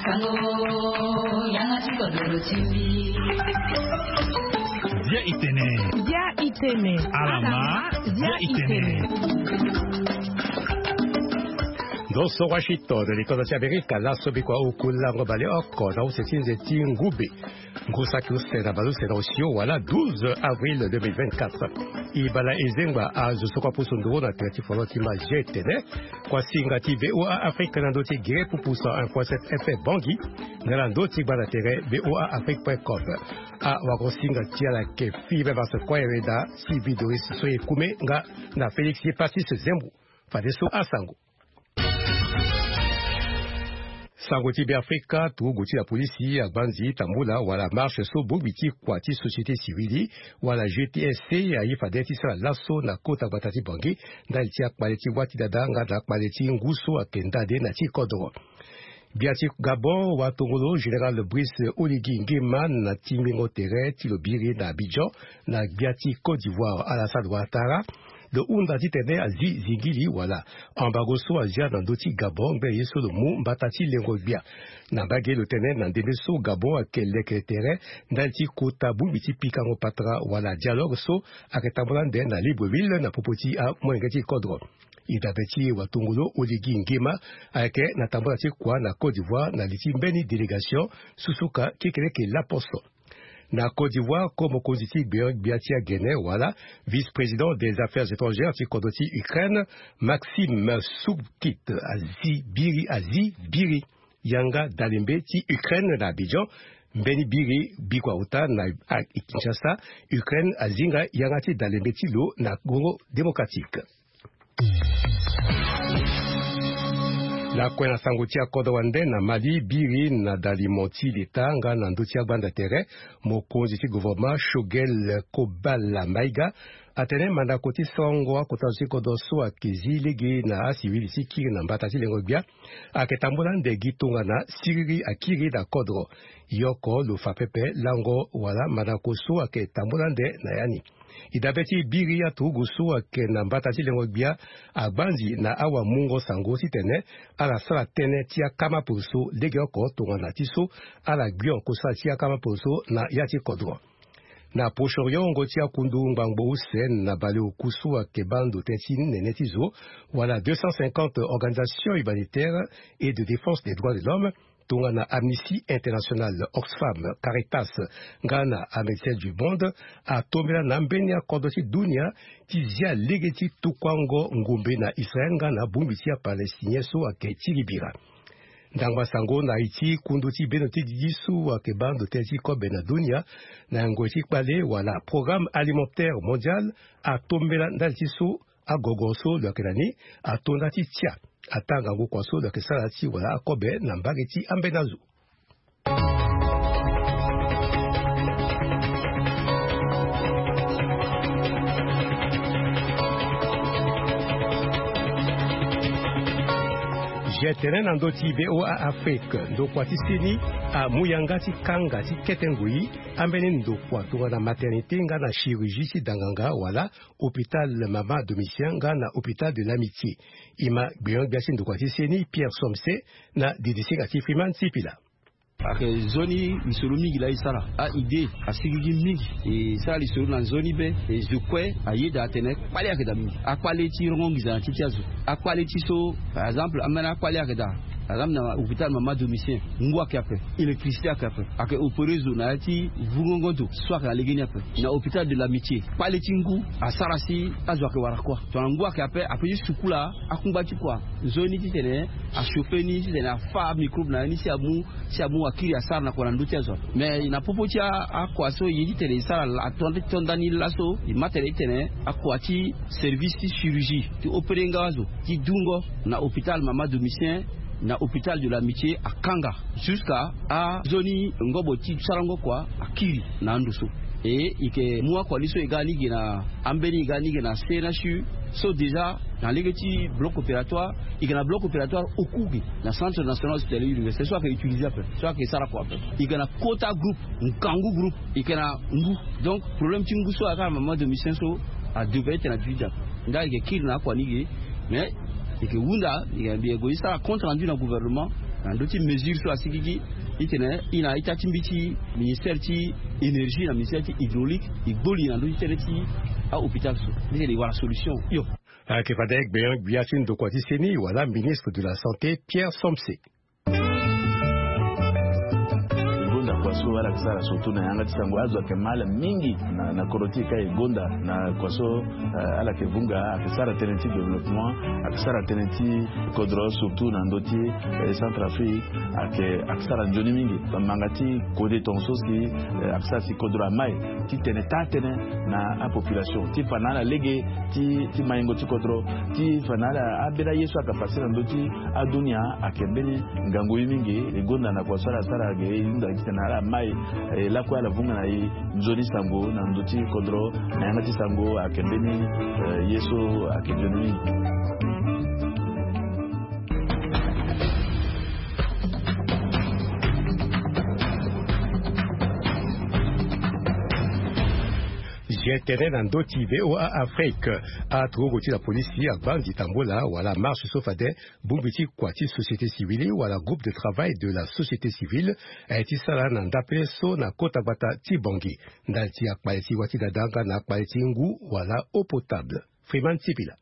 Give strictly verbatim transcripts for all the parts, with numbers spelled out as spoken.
Sango, yanga ti kodoro ti mbi. Bia itene. Bia itene. Alama, bia itene. Ndo so Washington, likozo ti Amerika, laso bikua oku lango baleoko na use ti nze ti ngube. Ngu saki use na baleuse na osio wala douze avril deux mille vingt-quatre. E bala e zengba azo so kua pusu nduru na tere ti folo ti mba ge tene. Kua singa ti V O A Afrique na ndö ti gere pupu cent un point sept F M Bangui, nga na ndö ti gbanda tere V O A Afrique point com. Awako singa ti ala yeke Philippe Vasse Koyere da Sylvie Doris so e kume nga na Félix Passis Zembo. Fadeso asango. Sango ti Beafrika, turugu ti la polisi agbanzi tambula wala marche so bongbi ti kua ti société civile wala G T S C aye fade ti sara laso na kota gbata ti Bangui ndali ti akpale ti wâ ti dada nga na akpale ti ngu so ayeke ndade na ti kodro. Gbia ti Gabon, watongolo général Brice Oligui Nguema na tingbingo tere ti lo biri na Abidjan na gbia ti Côte d'Ivoire Alassane Ouattara lo hunda titene azi zingili wala embargo so azia na ndö ti Gabon ngbene ye so lo mu mbata ti lengo gbia. Na mbage lo tene na ndembe so Gabon ayeke leke tere ndali ti kota bongbi ti pikango patara wala dialogue so ayeke tambula ande na Libreville na popo ti amolenge ti kodro. E dabe ti watongolo Oligui Nguema ayeke na tambula ti kua na Côte d'Ivoire na li ti mbeni délégation susuka kekereke laposo. Na Côte d'Ivoire, ko mokonzi ti gbia ti agene wala vice-président des affaires étrangères ti kodro ti Ukraine, Maxime Soukit, azi biri, azi biri yanga dalembe ti Ukraine na Abidjan. Mbeni biri bikua ota na Kinshasa, Ukraine azinga yanga ti dalembe ti lo na Congo démocratique. Na kue na sango ti akodro wande na Mali, biri na dalimo ti leta nga na ndö ti agbanda tere, mokonzi ti gouvernement Choguel Kobala Maïga atene mandako ti sarango akota zo ti kodro so ayeke zi lege na asivili ti kiri na mbata ti lengo gbia ayeke tambula ande gi tongana siriri akiri na kodro. Yoko lo fa pepe lango wala mandako so ayeke tambula ande na ya ni. E dabe ti biri aturugu so ayeke na mbata ti lengo gbia agbanzi na awamungo sango titene ala sara tënë ti akama poroso legeoko tongana ti so ala gbio kosala ti akama poroso na ya ti kodro. Na Proche-Orient, wungo ti akundu ngbangbo use na baleoku so ayeke baa ndo tënë ti nene ti zo wala deux cent cinquante organisations humanitaires et de défense des droits de l'homme tongana Amnesty International, Oxfam, Caritas nga na Médecins du Monde atombela na ambeni akodro ti dunia ti zia lege ti tukuango ngombe na Israël nga na bongbi ti aPalestinien so ayeke ti libira. Ndangba sango na iri ti kundu ti bendo ti didi so ayeke baa ndo tënë ti kobe na dunia na ngoi ti kpale wala Programme Alimentaire Mondial atombela ndali ti so agogo so lo yeke na ni ato nda ti tia ataa ngangu kua so lo yeke sara ti wala akobe na mbage ti ambeni azo. Ge tene na ndö ti V O A Afrique, ndokua ti seni amu yanga ti kanga ti kete ngoi ambeni ndokua tongana maternité nga na chirurgie ti danganga wala hôpital Mama Domitien nga na hôpital de l'Amitié. E ma gbenyo-gbia ti ndokua ti seni Pierre Somse na didisinga ti Freeman Sipila. Ayeke nzoni lisoro mingi laa e sara. A-idée asigigi mingi. E sara lisoro na nzoni be. E zo kue ayeda atene kpale ayeke daa mingi. Akpale ti rongo nginza na ti ti azo. Akpale ti so, par exemple, ambeni akpale ayeke daa. Par exemple, na hôpital Mama Domitien, ngu ayeke ape, électricité ayeke ape, ayeke opéré zo na ya ti vungongo ndo so ayeke na legeni ape. Na hôpital de l'Amitié, kpale ti ngu asara si azo ayeke wara kuâ. Tongana ngu ayeke ape, ape ti sukula akungba ti kua nzoni titene achauffer ni, titene afâ amicrobe na ya ni si amu, si amu akiri asara na kua na ndö ti azo ape. Mais na popo ti a, akua so e ye titene e sara la, atonda ti tonda ni laso, e ma tene titene akua ti service ti chirurgie ti opéré nga azo ti dungo na hôpital Mama Domitien, na hôpital de l'Amitié akanga. Jusqu'à anzoni ngobo ti sarango kua akiri na ando so. E, e yeke mu akua ni so e ga ni ge na ambeni, e ga ni ge na C N H U so déjà na lege ti bloc opératoire, e yeke na bloc opératoire oku ge na Centre National Hospitalier Universitaire so ayeke utiliser ape, so ayeke sara kua ape. E yeke na quota groupe, ngangu groupe, e yeke na ngu. Donc problème ti ngu so ayeke na Mama Domitien so adevrait tena duti daa. Nga e yeke kiri na akua ni ge, mais e yeke hunda, e yeke, e yeke gue ti sara compte rendu na gouvernement. Na ndö ti mesure so asikiki, itene i na ita ti mbi ti ministère ti énergie na ministère ti hydraulique, e gbo li na ndö ti tënë ti ahôpital so, itene e wara solution hio. Ayeke fade gbia gbia ti ndokua ti seni wala ministre de la santé Pierre Somse. Gonda kua so ala yeke sara surtout na yanga ti sango azo ayeke mal mingi. Na kodro ti e ka e gonda na kua so ala yeke vunga ayeke sara tënë ti développement, ayeke sara tënë ti kodro surtout na ndö ti Centrafrique. Ayeke sara nzoni mingi. Manga ti kode tonga so si ayeke sara si kodro amai titene taa tënë na apopulation ti fa na ala lege ti maingo ti kodro, ti fa na ala ambeni aye so ayeke pase na ndö ti adunia. Ayeke mbeni ngangu ye mingi. E gonda na kua so ala sara ge e hunda titene ala mai e lakue ala vunga na e nzoni sango na ndö ti kodro. Na yanga ti sango ayeke mbeni ye so ayeke nzoni mingi. Zia tene na ndö ti VOA Afrique. Aturugu ti la polisi agba nzi tambola wala marche so fade bongbi ti kua ti société civile wala groupe de travail de la société civile aye ti sara na ndapele so na kota gbata ti Bangui ndali ti akpale ti wâ ti dada nga na akpale ti ngu wala eau potable. Freeman Sipila.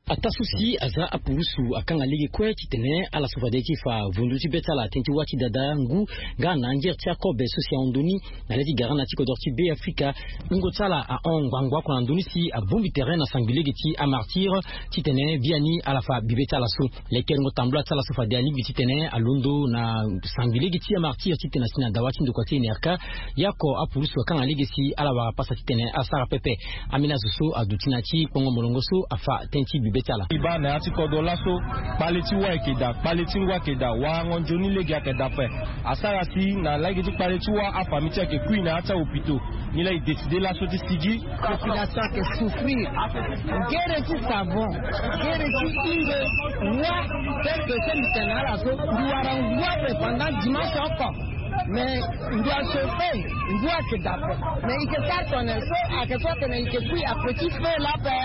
Ataa so si aza apurusu akanga lege kue titene ala so fade ti fa vundu ti be ti ala tënë ti wâ ti dada ngu nga na anzere ti akobe so si ahon ndoni na le ti gara na ti kodro ti Be Afrika. Wungo ti ala ahon ngbangbo oko na ndoni si abongbi tere na sangbi lege ti amartyr titene biani ala fa bibe ti ala so. Lekerengo tambula ti ala so fade alingbi titene alondo na sangbi lege ti amartyr titene asi na dawa ti ndokua ti N R K. Ye oko apurusu akanga lege si ala wara pasa titene asara pepe. Ambeni azo so aduti na ya ti kpongo molongo so afa tënë ti bibe ti ala. E baa na ya ti kodro laso, kpale ti wâ ayeke daa, kpale ti ngu ayeke daa, warango nzoni lege ayeke daa ape. Asara si na lege ti kpale ti wâ afamille ti e ayeke kui na ya ti ahopito. Nilaa e décider laso ti sigi. Population ayeke souffrir. Gere ti savon, gere ti hingo wâ. Tel que so mbi tene na ala so, mbi wara ngu ape pendant dimanche oko. Mais ngu achauffer, ngu ayeke daa ape. Mais e yeke sara tongana nyen so ayeke so atene e yeke kui à petit feu laa ape?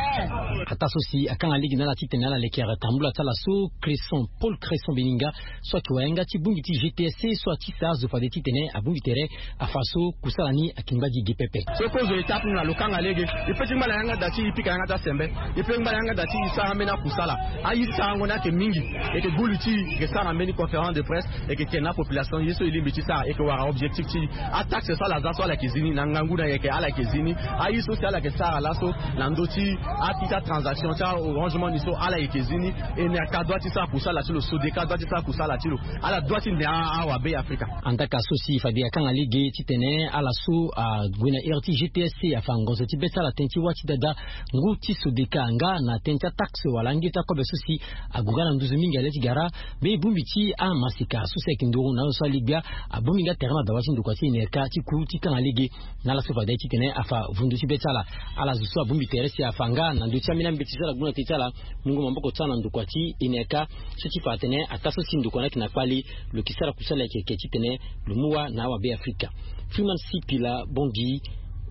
Ataa so si akanga lege na ala titene ala lekere tambula ti ala so, Cresson, Paul Cresson Beninga, so ayeke wayanga ti bongbi ti G T S C so atisa azo fade titene abongbi tere afa so kusala ni ayeke ngba gi ge pepe. So kozo étape ni na lo kanga lege. E pe ti ngba na yanga da ti e pika yanga ti asembe. E pe ti ngba na yanga da ti e sara ambeni akusala. Aye ti sarango ni ayeke mingi. E yeke gbu li ti e, e yeke sara mbeni conférence de presse. E yeke tene na apopulation ye so e lingbi ti sara, e yeke wara objectif ti e. Ataxe so ala za so ala yeke zi ni na ngangu na yeke ala yeke zi ni. Aye so si ala yeke sara laso na ndö ti akita transaction ti a-Orange Money so ala yeke zi ni. N R K doit ti sara kusala ti lo, Sodeka doit ti sara kusala ti lo. Ala doit ti ne a-, awabe Afrika. Andaka so si fade akanga lege titene ala so ague na ere ti G T S C afa ngonzo ti be ti ala tënë ti wâ ti dada ngu ti Sodeka nga na tënë ti ataxe wala ange ti akobe so si ague nga na nduzu mingi na le ti gara. Be bongbi ti amaseka so si ayeke nduru na azo so aligbia abongbi nga tere na dawa ti ndokua ti N R K ti ku ti kanga lege na ala so fade titene afa vundu ti be ti ala. Ala zo so abongbi tere si afa nga na ndö ti ambeni ambeti so ala gbu na tënë ti ala mungo maboko ti ala na ndokua ti N R K so ti fa atene ataa so si ndokua ni ayeke na kpale, lo yeke sara kusala yeke yeke titene lo mu wâ na awabe Afrika. Freeman Sipila, Bangui,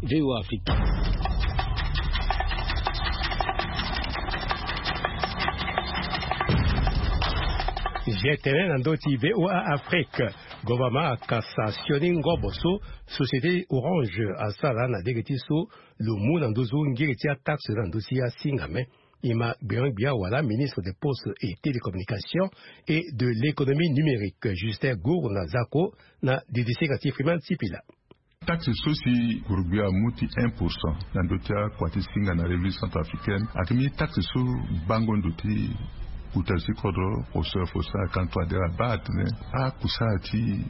VOA Afrika. Zia tene na ndö ti VOA Afrique. Gouvernement akasa sioni ngobo so société Orange asara na lege ti so lo mu na nduzu ngiri ti ataxe na ndö ti asingame. E ma gbia gbia wala ministre des Postes et Télécommunications et de l'Économie numérique, Justin Gourna Zako, na didisinga ti Freeman Sipila. Taxe so si gurugbi amu ti un pour cent na ndö ti akua ti singa na République centrafricaine ayeke mbeni taxe so bango ndo ti kota ti kodro. Fosseur fosseur akanto adere abaa atene akusala ti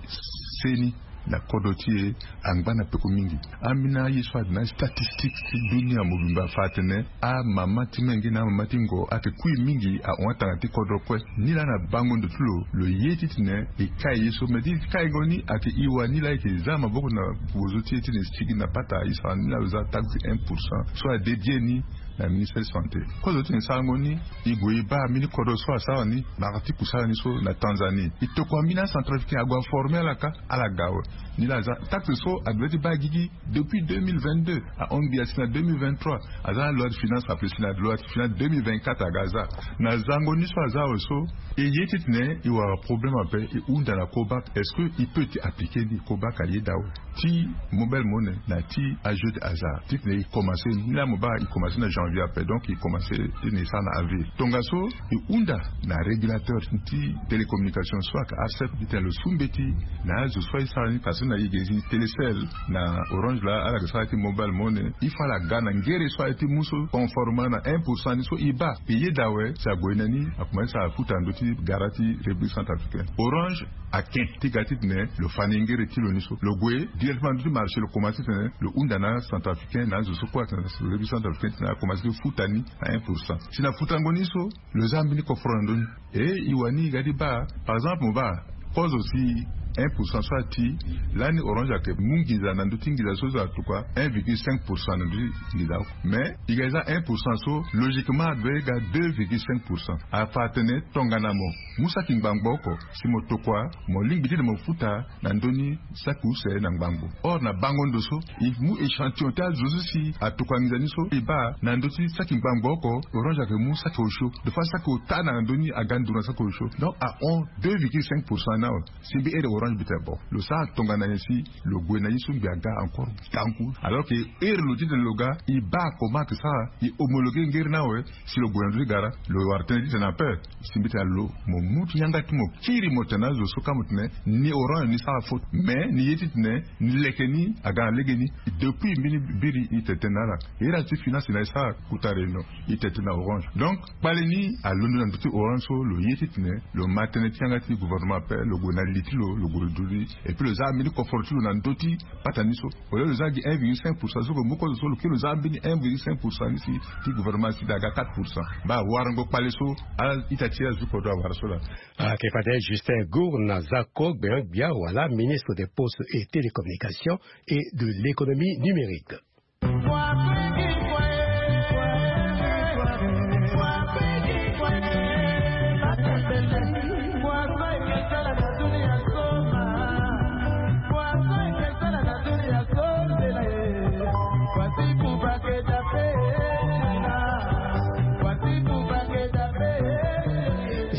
seni na kodro ti e angba na peko mingi. Ambeni aye so ayeke na statistique ti dunia mobimba afa atene amama ti menge na amama ti ngo ayeke kui mingi ahon atanga ti kodro kue. Nilaa na bango ndo ti lo, lo ye titene e kai ye so, me ti kaingo ni ayeke e wa nilaa e yeke za maboko na bozo ti e titene e sigi na pata e sara nilaa lo za taxe un pour cent so adédié ni Na ministre santé kozo ti ni sarango ni. I gue i baa mbeni kodro so asara ni, mara ti kusala ni so na Tanzanie. I tokua mbeni acentrafricain ague aforme ala ka, ala ga awe. Ni laa aza taxe so ague ti baa gigi depuis deux mille vingt-deux ahon gi asi na deux mille vingt-trois. Aza na loi de finance apesi na loi de finance deux mille vingt-quatre aga aza. Na zango ni so aza awe so, e ye titene i wara problème ape, i hunda na Cobak, est-ce que i peut ti appliquer ni? Cobak ayeda awe ti mobile monnaie na ti ajeu de hasard titene i commencer ni laa mo baa i commencer na janvier ape, donc i commencer titene i sara na avril. Tongaso i hunda na régulateur ti télécommunication so ayeke ARCEP titene lo su mbeti na azo so aye sara ni, parce que na e ge zi Télécel na Orange laa ala yeke sara ti mobile monnaie, il faut ala ga na ngere so aye ti mu so conformément na un pour cent ni so i baa. E yeda awe si ague na ni akomanse sara futa na ndö ti gara ti République centrafricaine. Orange aken ti ga titene lo fa ni ngere ti lo ni so, lo gue directement na ndö ti marché, lo komanse titene lo hunda na acentrafricain na azo so kue atene na République centrafricaine titene akomanse ti futa ni na un pour cent. Si na futango ni so, lo za mbeni koforo na ndö ni. E i wani i ga ti baa, par exemple mo baa kozo si un pour cent so ati, lani Orange ayeke mu nginza na ndö ti nginza so, so atokua un virgule cinq pour cent na ndö ti nginza oko. Mais i ga ti za un pour cent so, logiquement adoit ga deux virgule cinq pour cent. Afa atene tongana mo mu saki ngbangbo oko, si mo tokua, mo lingbi titene mo futa na ndö ni saki use na ngbangbo. Or na bango ndo so, i mu échantillon ti azo so si atokua nginza ni so, i baa na ndö ti saki ngbangbo oko, Orange ayeke mu saki osio. Des fois saki ota na ndö ni aga nduru na saki osio. Donc ahon deux virgule cinq pour cent ni awe. Si mbi ere Orange mbi tene bon, lo sara tongana nyen si lo gue na ye so mbi aga encore tangu. Alors que heure lo titene lo ga, i baa comment ayeke sara, i homologuer ngere ni awe. Si lo gue na ndö ti gara, lo wara tënë titene ape. Si mbi tene lo, mo mu ti yanga ti mo kiri mo tene na azo so ka mo tene ni Orange ni sara faute. Mais ni ye titene ni leke ni aga na legeni. Depuis mbeni biri i tene tënë na ala. Iri azo ti finance na e sara kota réunion, i tene tënë na Orange. Donc kpale ni alondo na ndö ti Orange so, lo ye titene lo ma tënë ti yanga ti gouvernement ape, lo gue na li ti lo, lo gue lo duti. Et puis lo za mbeni koforo ti lo na ndö ti pata ni so. Au lieu lo za gi un virgule cinq pour cent so, lo mu kozo so lo kiri lo za mbeni un virgule cinq pour cent ni si ti gouvernement si aga quatre pour cent. Baa warango kpale so ala ita ti azo ti kodro awara so laa. Ayeke fade Justin Gour na Zako Gbeon Gbia wala ministre des Postes et Télécommunications et de l'Économie numérique.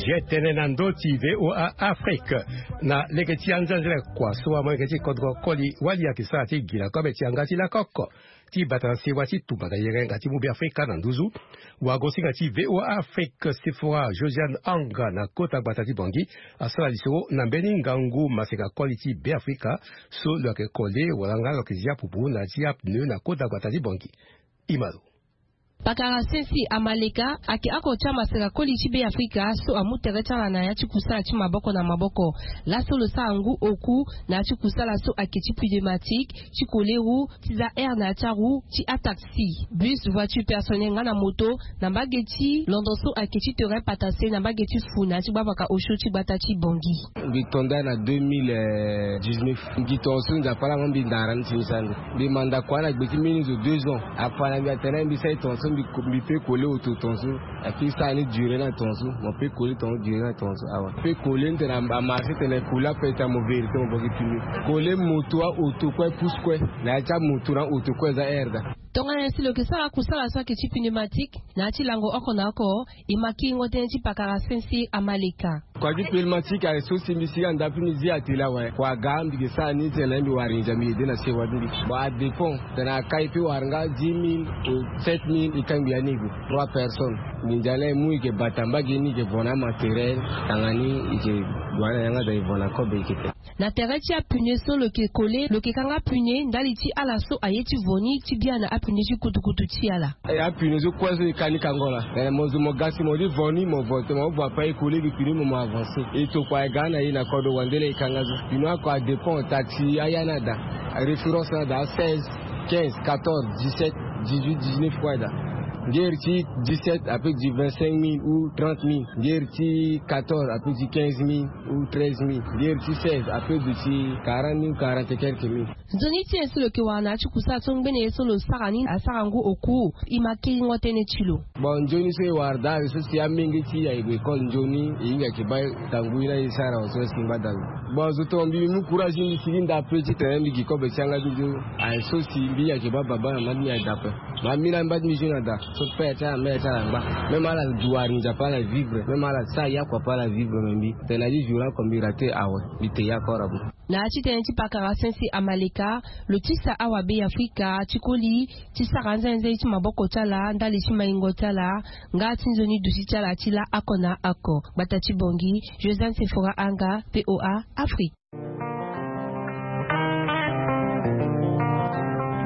Zia tënë na ndö ti VOA Afrique. Na lege ti anzenzele kua so amolenge ti kodro koli wali ayeke sara ti gi na kobe ti yanga ti lakoko ti bata na sewa ti tumba na yenga ti mu Beafrika na nduzu. Wagosinga ti VOA Afrique Sephora Josiane Ang na kota gbata ti Bangui asara lisoro na mbeni ngangu maseka koli ti Beafrika so lo yeke kole wala nga lo yeke zia pupu na ya ti apneu na kota gbata ti Bangui. Imalo. Pakara Sensi Amaleka ayeke oko ti amaseka koli ti Beafrika so amu tere ti ala na ya ti kusala ti maboko na maboko. Laso lo sara ngu oku na ya ti kusala so ayeke ti pneumatique, ti koleru, ti za aire na ya ti aru, ti ataxi, bus, voiture personnelle nga na moto, na mbage ti londo so ayeke ti terrain patase na mbage ti fu na ya ti gbavaka osio ti gbata ti Bangui. Mbi to nda na deux mille dix-neuf. Mbi gi tongaso Nzapa ala ma mbi ndara ni ti mbi sara ndo. Mbi manda kua na gbe ti mbeni zo deux ans. Afa na mbi atene mbi sara e tongaso mbi, mbi peut coller oto tongaso. Ape sara ni duré na tongaso. Mo peut coller tongaso duré na tongaso awa. Peut coller ni tene amarché tene coller ape tene mo vérité mo boki pneu. Coller moto aoto kue pousse kue. Na ya ti amoto na aoto kue eza aire daa. Tongana nyen si lo yeke sara kusala so ayeke ti pneumatique na ya ti lango oko na oko? E ma kiringo tënë ti pakara Sensi Amaleka. Kua ti pneumatique aye so si mbi sigi anda ape mbi zi atelier awe. Kua aga mbi yeke sara ni tene mbi wara nginza mbi aidé na sewa ti mbi. Bon, adépend. Tene akai peut wara nga dix mille ou sept mille, e kangbi ya ni e gue. Trois personnes. Nginza ni aye mu e yeke bata mbage ni e yeke vo na amatériel. Tanga ni e yeke gue na yanga daa e vo na kobe e yeke te. Na tere ti apneu so lo yeke coller, lo yeke kanga pneu ndali ti ala so aye ti vo ni ti bia na apneu ti kutukutu ti ala. E, apneu so kue so e ka ni kango laa. Tene mo zo mo ga si mo li vo ni mo vo te, mo vo ape e coller gi pneu mo, mo avancer. E tokua e ga na e na kodro wande laa e kanga so. Pneu oko adépend, taxi aya ni ada. Référence ni ada seize, quinze, quatorze, dix-sept, dix-huit, dix-neuf kue ada. Ngeri ti dix-sept après du vingt-cinq mille ou trente mille. Ngeri ti quatorze après du quinze mille ou treize mille. Ngeri ti seize après du ti quarante mille ou quarante et quelques mille. Nzoni ti e so lo yeke wara na ya ti kusala so ngbene ye so lo sara ni asara ngu oku. E ma kiringo tënë ti lo. Bon, nzoni so e wara daa so si amenge ti e ayeke gue école nzoni, e hinga yeke baa tangu ye na e sara wa so si ngbada lo. Bon, zo tonga mbi, mbi mu courage, mbi sigi ndape titene mbi gi kobe ti yanga ti nzoni. Aye so si mbi hinga yeke baa baba na mama ti mbi aye daa ape. Mama ti mbi na mama ti mbi zo na daa so père ti ala mère ti ala angba. Même ala duari nzapa ala vivre, même ala sara yakua ape ala vivre, me mbi tene na ye zo na oko mbi rate awe. Mbi te yakua ora bo. Na ya ti tënë ti pakara sensi amaleka, lo tisa awabe ya Afrika ti koli ti sara nzenze ti maboko ti ala ndali ti maingo ti ala nga ti nzoni duti ti ala ti laa oko na oko. Gbata ti Bangui, Josiane Sephora Anga, VOA Afrique.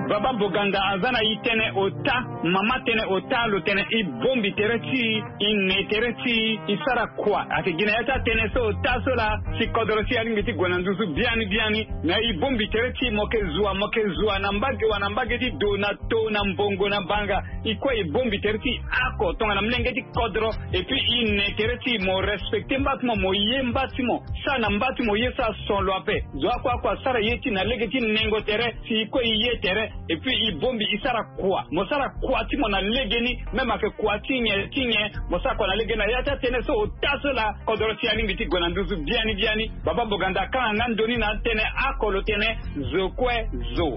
Baba Boganda aza na e tënë ota, mama tënë ota, lo tene e bongbi tere ti e, e ne tere ti e, e sara kua. Ayeke gi na ya ti atënë so ota so laa si kodoro ti e alingbi ti gue na nduzu biani biani. Me e bongbi tere ti e, mo yeke zua, mo yeke zua na mbage wa na mbage ti do, na to, na mbongo, na banga. E kue e bongbi tere ti e oko tongana molenge ti kodro. Et puis e ne tere ti e, mo respecte mba ti mo, mo ye mba ti mo. Sara na mba ti mo ye so ason lo ape. Zo oko oko asara ye ti e na lege ti nengo tere, si e kue e ye tere. Et puis e bongbi e sara kua. Mo sara kua ti mo na legeni, même ayeke kua ti nyen ti nyen, mo sara kua na legeni. Na ya ti atënë so ota so laa kodoro ti e alingbi ti gue na nduzu biani biani. Baba Boganda akanga nga ndo ni na atënë oko, lo tene zo kue zo.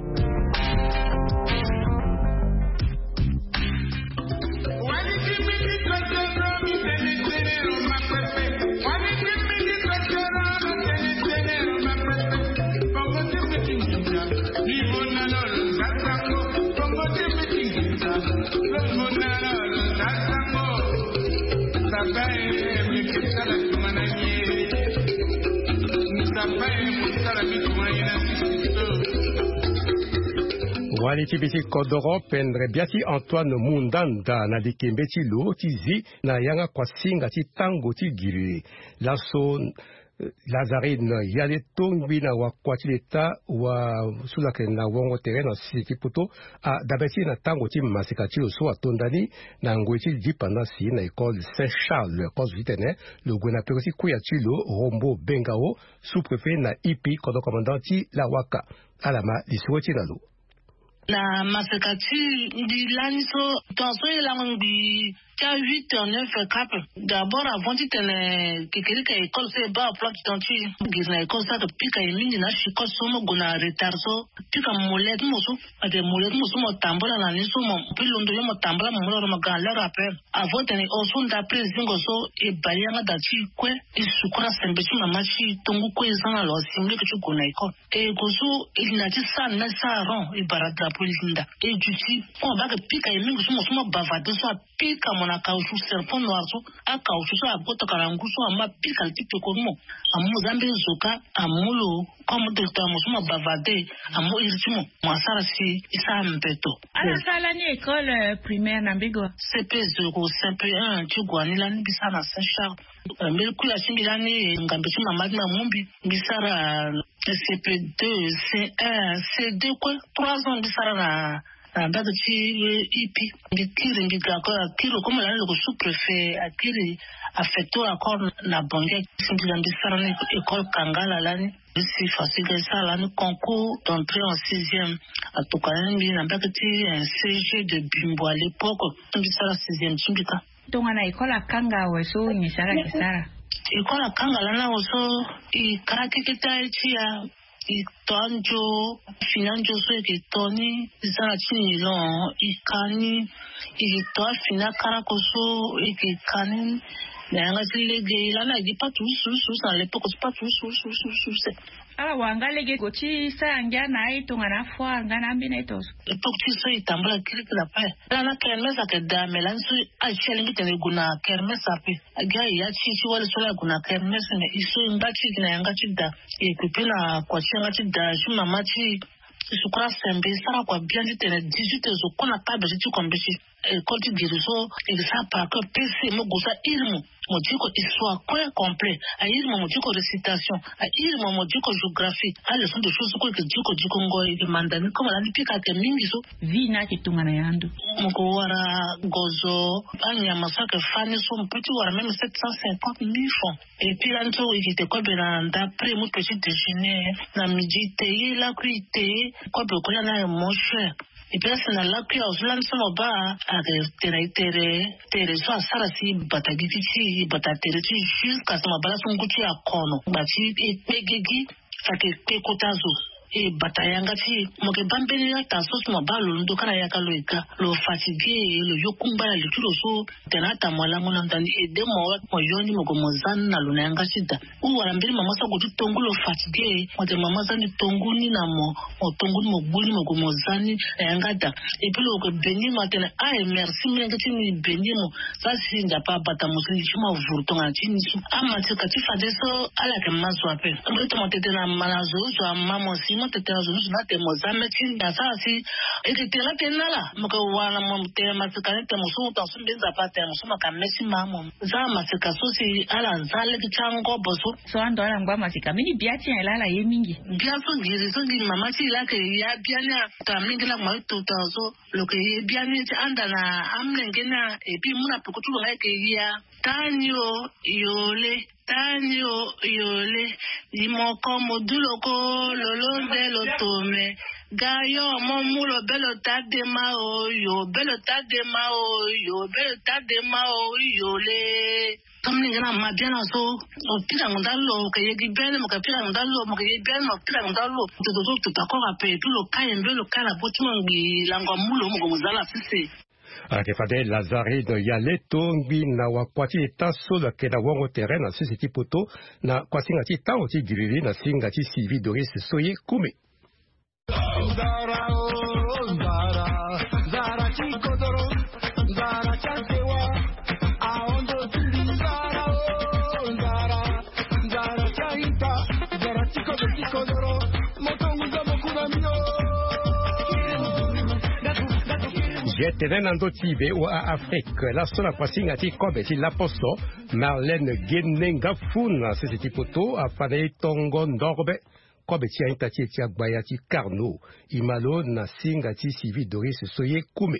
Wali ti bisi kodoro, pendre bia ti Antoine Mundanda na likembe ti lo ti zi na yanga kuasinga ti tango ti giri. Laso, eh, Lazarine Yaleto ngbi na wakua ti leta wa so lo yeke na wongo tere na sese ti poto, adabe ti e na tango ti maseka ti lo so atonda ni na ngoi ti dipanda si na école Saint Charles, kozo titene lo gue na peko ti kuya ti lo Rombo Bengao, sous-préfet na IPI, kodro commandant ti Lawaka. Ala ma lisoro ti e na lo. Na maseka ti mbi lani so, tongaso e lango ngbii ti a huit heures, neuf heures cap. D'abord, avant titene kekerika école so e baa emploi du temps ti e, giri na école so ayeke pika e mingi na achicote so mo gue na retard so, pika mollet ti mo so. Ade mollet ti mo so mo tambula na ni so mo pe londo ye mo tambula mo mu loro mo ga na l'heure ape. Avant titene e hon so ndape e zingo so, e bale yanga daa ti e kue, e sukura sembe ti mama ti e, tongu kue e za na lo asi mo leke ti gue na école. E gue so e linda ti sara na ti sara rond, e bara drapeau e linda. E duti, comme abaa ayeke pika e mingi so mo so mo bavarder so apika mo na caoutchouc, serpent noir so, acaoutchouc so ague tokana ngu so ama pika li ti peko ti mo. Amu mo za mbeni zoka, amu lo comme directeur mo so mo bavarder, amu iri ti mo, mo asara si e sara mbeto. Ala sara lani école, euh, primaire na mbage wa? C P zéro, C P un ti gue ni lani mbi sara na Saint Charles. Euh, mbeni kuya ti mbi lani, ngambe ti mama ti mbi amu mbi, mbi sara, euh, C P deux, C un, C deux kue, trois ans mbi sara na, na mbage ti, euh, IPI. Mbi kiri, mbi ga encore, akiri lo comme lani lo yeke sous-préfet, akiri affecté encore na Bangui. Si mbi ga mbi sara ni école Kangala lani. Mbi si fasiga e sara lani concours d'entrée en sixième. Atokua ni mbi na mbage ti, euh, C G de Bimbo à l'époque. Mbi sara sixième ti mbi kâ. Tongana école akanga awe so nyen si ala yeke sara? École akanga lani awe so, e kara keke ti aye ti e, e to anzo, fini anzo so e yeke to ni, e za na ti nilon, e ka ni, e yeke to afini akarako so e yeke ka ni. Na yanga ti lege lani ayeke gi patu use use use na l'époque ti patu use use use use. Ala wara nga lege gue ti sara ngia na aye tongana afoire nga na ambeni aye tongaso. Époque ti so e tambula kirikiri ape. Ala na kermesse ayeke daa, me lani so aye ti e alingbi tene e gue na kermesse ape. Agi aye ya ti e ti wali so laa e gue na kermesse, me e so e ngba ti e gi na yanga ti da. E gue pe na kua ti yanga ti da ti mama ti e, e sukura sembe, e sara kua biani titene dix-huit heures zo kue na kâ beti ti kua mbeti. École ti guérison, e ke sara par cœur pc mo gue so a iri mo. Mo diko histoire kue complet, a iri mo mo diko récitation, a iri mo mo diko géographie, a leçon de choses kue e ke diko diko ngo e ke manda ni comme lani pika ayeke mingi so. Vie ni ayeke tongana ya ndo. Mo ke wara gozo, anyama so ayeke fâ ni so mo peut ti wara même sept cent cinquante mille francs. Et puis lani so e ke te kobe na nda prix mo petit déjeuner, na midi te ye lakui te ye, kobe ko lani aye mon cher. Et puis asi na lakui azo lani so mo baa, ayeke tene e tere, tere so asara si e bata gigi ti e, e bata tere ti e jusqu'à so mo baa laso ngu ti e akono ngba ti e kpe gigi. Ayeke kpe kota zo, e bata yanga ti e. Mo yeke baa mbeni ata so si mo baa lo ndo ka na yaka lo e ga, lo fatigué, lo yo kungba na li ti lo so. Tene ata mo lango na ndani e de mo wa mo yo ni mo gue mo za ni na lo na yanga ti da. Ou wala mbeni mama so ague ti tongu lo fatigué, mo tene mama za ni tongu ni na mo, mo tongu ni mo gbu ni mo gue mo za ni na yanga da. Et puis lo gue beni mo atene aye merci molenge ti ni beni mo. Sa si nzapa abata mo si li ti mo avuru tongana ti ni so. Amatika ti fadeso ala yeke ma zo ape. Mbi tongana tete na ma na zo zo ama mo si mo tete na zo zo na tene mo za me ti ni asara si. E ke tene na tene na ala mo ke wara na mo tene matika ni tene mo so mo tanga so mbi nzapa atene mo so mo ka me ti ma mo. Za matika so si ala za lege ti angobo so. So ando ala ngba matika mbeni bia ti nyen laa ala ye mingi. Bia so ngiri so ngiri mama ti e laa ayeke ya bia ni aka mingi laa mo ye tota so. Lo yeke ye bia ni ti anda na amolenge ni a. Et puis mu na peko ti lo nga ayeke ya. Tani o, yole. Tani o, yole. Di moko mo du lo ko. Lo londe lo tome. Ga yo mo mu lo be lo ta dema o yo be lo ta dema o yo be lo ta dema o. Yole. Ka molenge na ma bia na so. Mo pika ngo nda lo mo ke yegi bia ni mo ke pika ngo nda lo mo ke yegi bia ni mo pika ngo nda lo. Toto so tuta kora pe tu lo ka yembe lo ka na bo ti mo ngbi lango amu lo mo gue mo za na sese. Ayeke fade Lazarine Yaleto ngbi na wakua ti eta so lo yeke na wongo tere na sese ti poto, na kuasinga ti tango ti giriri na singa ti Sylvie Doris so ye kume. Nzara o nzara, nzara ti kodoro, nzara ti asewa. Ahondo ti mbi nzara o nzara, nzara ti aita, nzara ti kodoro ti kodoro. Moto nguza mokuna mbi o. Ye tene na ndö ti V O A Afrique laso na kuasinga ti kobe ti laposo. Marlène Gene Ngafuna sese ti poto afa na e tongo ndorbe. Kobe ti aita ti e ti agbaya ti Carnot. E ma lo na singa ti Sylvie Doris so ye kume.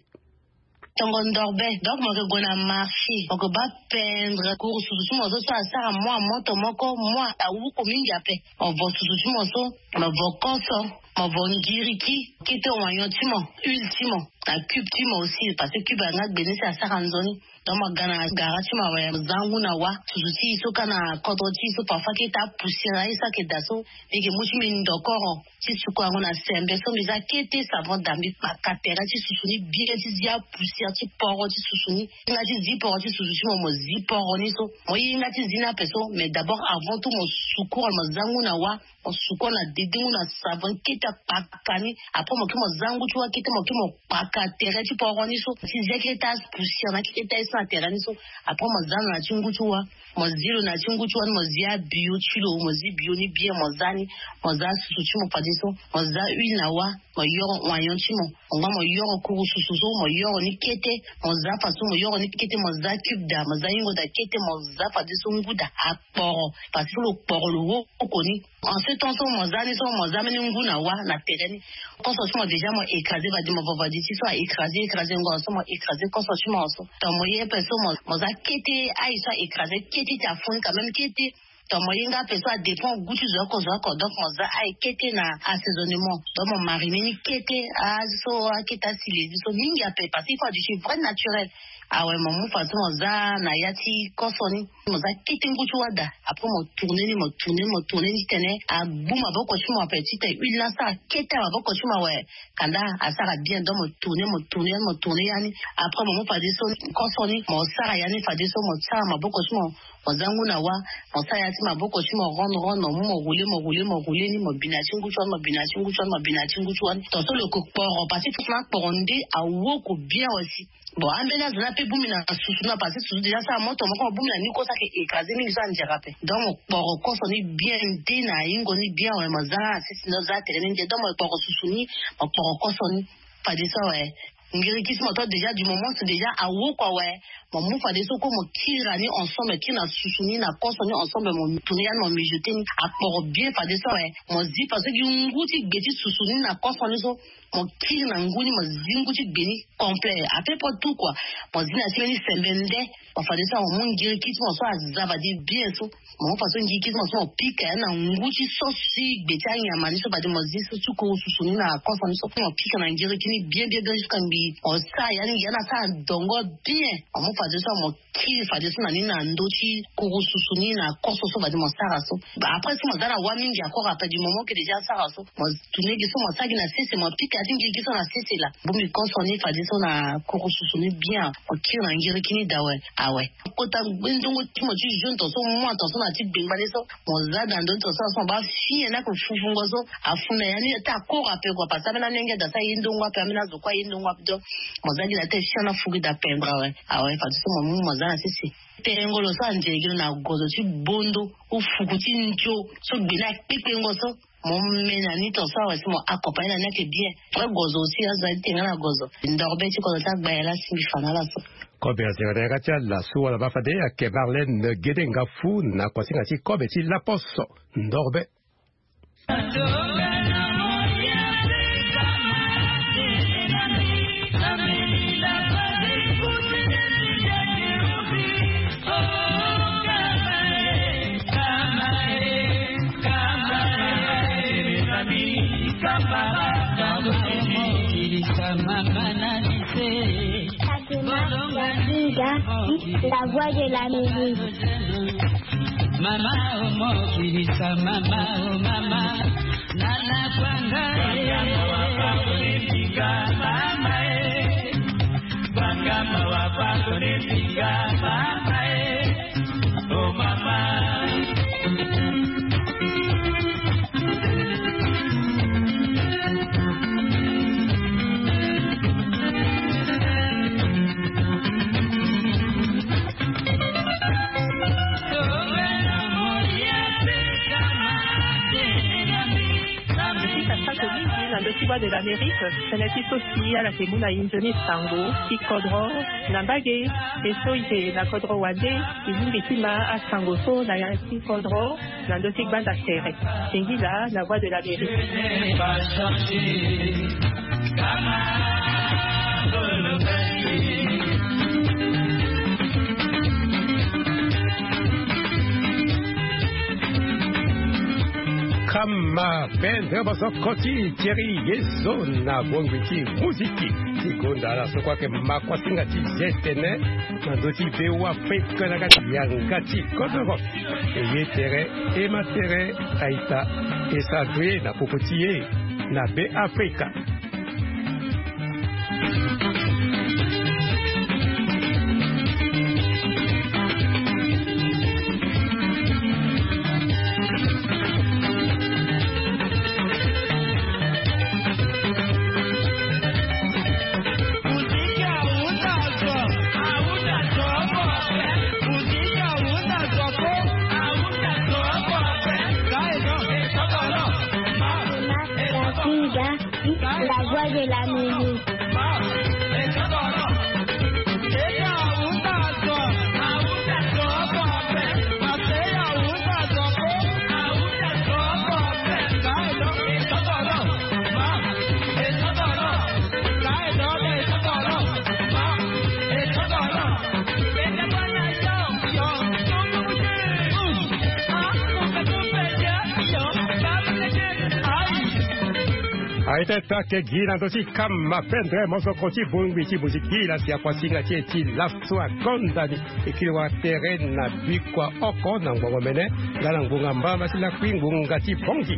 Tongo ndorbe donc mo yeke gue na marché mo yeke baa pendre kuru susu ti mo so so asara mua moto moko mua awuku mingi ape. Mo vo susu ti mo so, mo vo koso, mo vo ngiriki, kete wanyon ti mo, huile ti mo, na cube ti mo aussi parce que cube anga gbene si asara nzoni. Donc mo ga na gara ti mo awe mo za ngu na wa. Susu ti e so ka na kodro ti e so parfois kete apoussière na ye so ayeke daa so. Mbi yeke mu ti mbi ndokoro ti suku yango na sembe so mbi za kete savon daa mbi kpaka tere ti susu ni bien ti zi apoussière ti poro ti susu ni. Hinga ti zi poro ti susu ti mo mo zi poro ni so. Mo ye hinga ti zi ni ape so mais d'abord avant tout mo sukuru mo za ngu na wa. Mo suku na dedingu na savon kete akpaka ni. Après mo ke mo za ngu ti wa kete mo ke mo kpaka tere ti poro ni so ti zia kete apoussière na kete aye so na tere ni so. Après mo za na ti ngu ti wa. Mo zi lo na ti ngu ti wa ni mo zi abio ti lo mo zi bio ni bien mo za ni. Mo za susu ti mo fadeso. Mo za huile na wa. Mo yoro wanyon ti mo. Mo ngba mo yoro kuru susu so mo yoro ni kete. Mo za faso mo yoro ni kete mo za cube daa mo za yingo daa kete mo za fadeso ngu daa akporo. Parce que lo kporo lo woko ni. En ce temps so mo za ni so mo za mbeni ngu na wa na tere ni. Koso ti mo déjà mo écrasé vadi mo vo vadi ti so a écrasé écrasé ngo so mo écrasé koso ti mo so. Donc mo ye ape so mo za kete aye so a écrasé kete ti afu ni quand même kete. Donc mo ye nga ape so adépend gu ti zo oko zo oko donc mo za aye kete na assaisonnement. Donc mo marine ni kete azo so akete asilezi so mingi ape parce que il faut adu ti vrai naturel. Awe mo mu faso mo za na ya ti koso ni. Mo za kete ngu ti wa daa. Après mo tourne ni mo tourne ni mo tourne ni titene agbu maboko ti mo ape titene huile ni asara kete na maboko ti mo awe. Kanda asara bien donc mo tourne mo tourne yani mo tourne yani. Après mo mu fadeso koso ni mo sara yani fadeso mo sara maboko ti mo. Mo za ngu na wa. Mo sara ya ti maboko ti mo ronde ronde mo mu mo roule mo roule mo roule ni mo bina ti ngu ti wani mo bina ti ngu ti wani mo bina ti ngu ti wani tonso lo yeke kporo parce que fofo na akporo nde awoko bien aussi. Bon ambeni azo ni ape bongbi na susu na parce que susu déjà so amoto moko mo bongbi na ni koso ayeke écrasé mingi so andiara ape. Donc mo kporo koso ni bien nde na yingo ni bien awe mo za na sisi ni oza tere ni nde donc mo kporo susu ni. Mo kporo koso ni fadeso awe. Ngiriki so mo to déjà du moment so déjà awo kua awe. Mo mu fadeso kue mo kiri na ni ensemble, kiri na susu ni na koso ni ensemble, mo tourner ya ni, mo mijoter ni akporo bien fadeso awe. Mo zi faso gi ngu ti gbe ti susu ni na koso ni so, mo kiri na ngu ni, mo zi ngu ti gbe ni complet, à peu près tout kua. Mo zi na ti mbeni sembe nde. Mo fadeso awe mo mu ngiriki ti mo so aza fade bien so. Mo mu faso ngiriki ti mo so mo pika ya ni na ngu ti so si gbe ti anyama ni so fade mo zi so ti kuru susu ni na koso ni so, mo pika na ngiriki ni bien bien bien jusqu'à mbi. Mo sara ya ni, ya ni asara dongo bien. Mo mu fadeso awe mo kiri fadeso na ni na ndö ti kuru susu ni na koso so fade mo sara so. Bah, après so mo za na wa mingi encore, après du moment que déjà asara so, mo tourner gi so mo sara gi na sese, mo pika ya ti ngiriki so na sese laa. Bongbi koso ni fadeso na kuru susu ni bien, mo kiri na ngiriki ni daa awe. Awe. Kota ngbeni ndongo ti mo ti jaune tonso, mua tonso na ti gbengbale so, mo za na ndö ti tonso na so mo baa fini ya ni ake fufungo so. Afu na ya ni ata akoro ape kua, parce que ambeni anu yanga da so aye ndongo ape, ambeni azo kue aye ndongo ape. Donc mo za gi na ata e fini ya ni afu gi da pendre awe. Awe fadeso mo mu mo za na sese. Terengolo so anzere gi lo na gozo ti bondo, ou fuku ti nzio so gbe ni akpekpengo so. Mo me na ni tonso awe si mo accompagner na ni ake bien. Vrai gozo aussi azo aye ti tene nga na gozo. Ndorbe ti kodro ti agbaya laa si mbi fa na ala so. Kobe azere na yanga ti ala so wala baa fade ayeke Marlène Gede Ngafu na kuasinga ti kobe ti laposo. Ndorbe. Fatima Bazinga, la voix de l'Amérique. Mama, oh, mo kirisa, mama, oh, mama. Nana kwanga, eh. Mama, eh. Banga mawa, pardonne, pinga, mama, eh. Oh, mama. Mbi sika sako mingi na ndö ti Voix de l'Amérique, tënë ti so si ala yeke mu na e nzoni sango ti kodro na mbage. E so e yeke na kodro wande, e lingbi ti ma asango so na ya ti kodro na ndö ti gbanda tere. Singila na Voix de l'Amérique. Kama pendre bosoko ti Thierry Yezo na bongbi ti muziki. Ti gonda ala so kue ayeke ma kuasinga ti ze tene na ndö ti Be Afrika na kati yanga ti kodro. E ye tere, e ma tere, a-ita, e sara gue na popo ti e na Be Afrika. Katinga, la voix de l'Amérique. Aye ti ake gi na ndö ti kama pendre mosoko ti bongbi ti muziki la si akuasinga ti e ti laso akonda ni. E kiri wara tere na bikua oko na ngbongo mene nga na ngbonga mbamba ti lakui ngbonga ti bongi.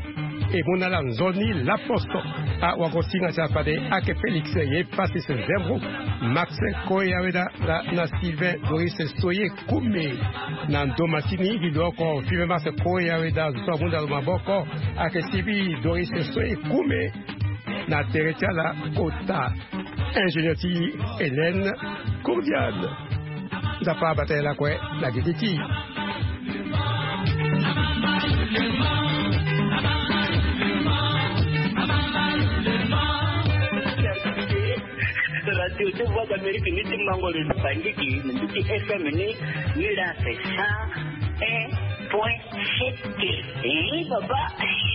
E mu na ala nzoni laposo. Awakosinga ti ala fade ake Félix ye Pasis Zembo, Max Koyaweda na, na Sylvain Doris Soye Kume. Na ndo masini gi lo oko Five Max Koyaweda zo amu na lo maboko ake Sibi Doris Soye Kume. Na tere ti ala kota ingénieur ti Hélène Courdiane. Nzapa abata ye lakue na gigi ti. Ti ti Voix d'Amérique ni ti mango le bangiki na mbi ti F M ni. Ni la c'est cent un point sept. Eh, baba.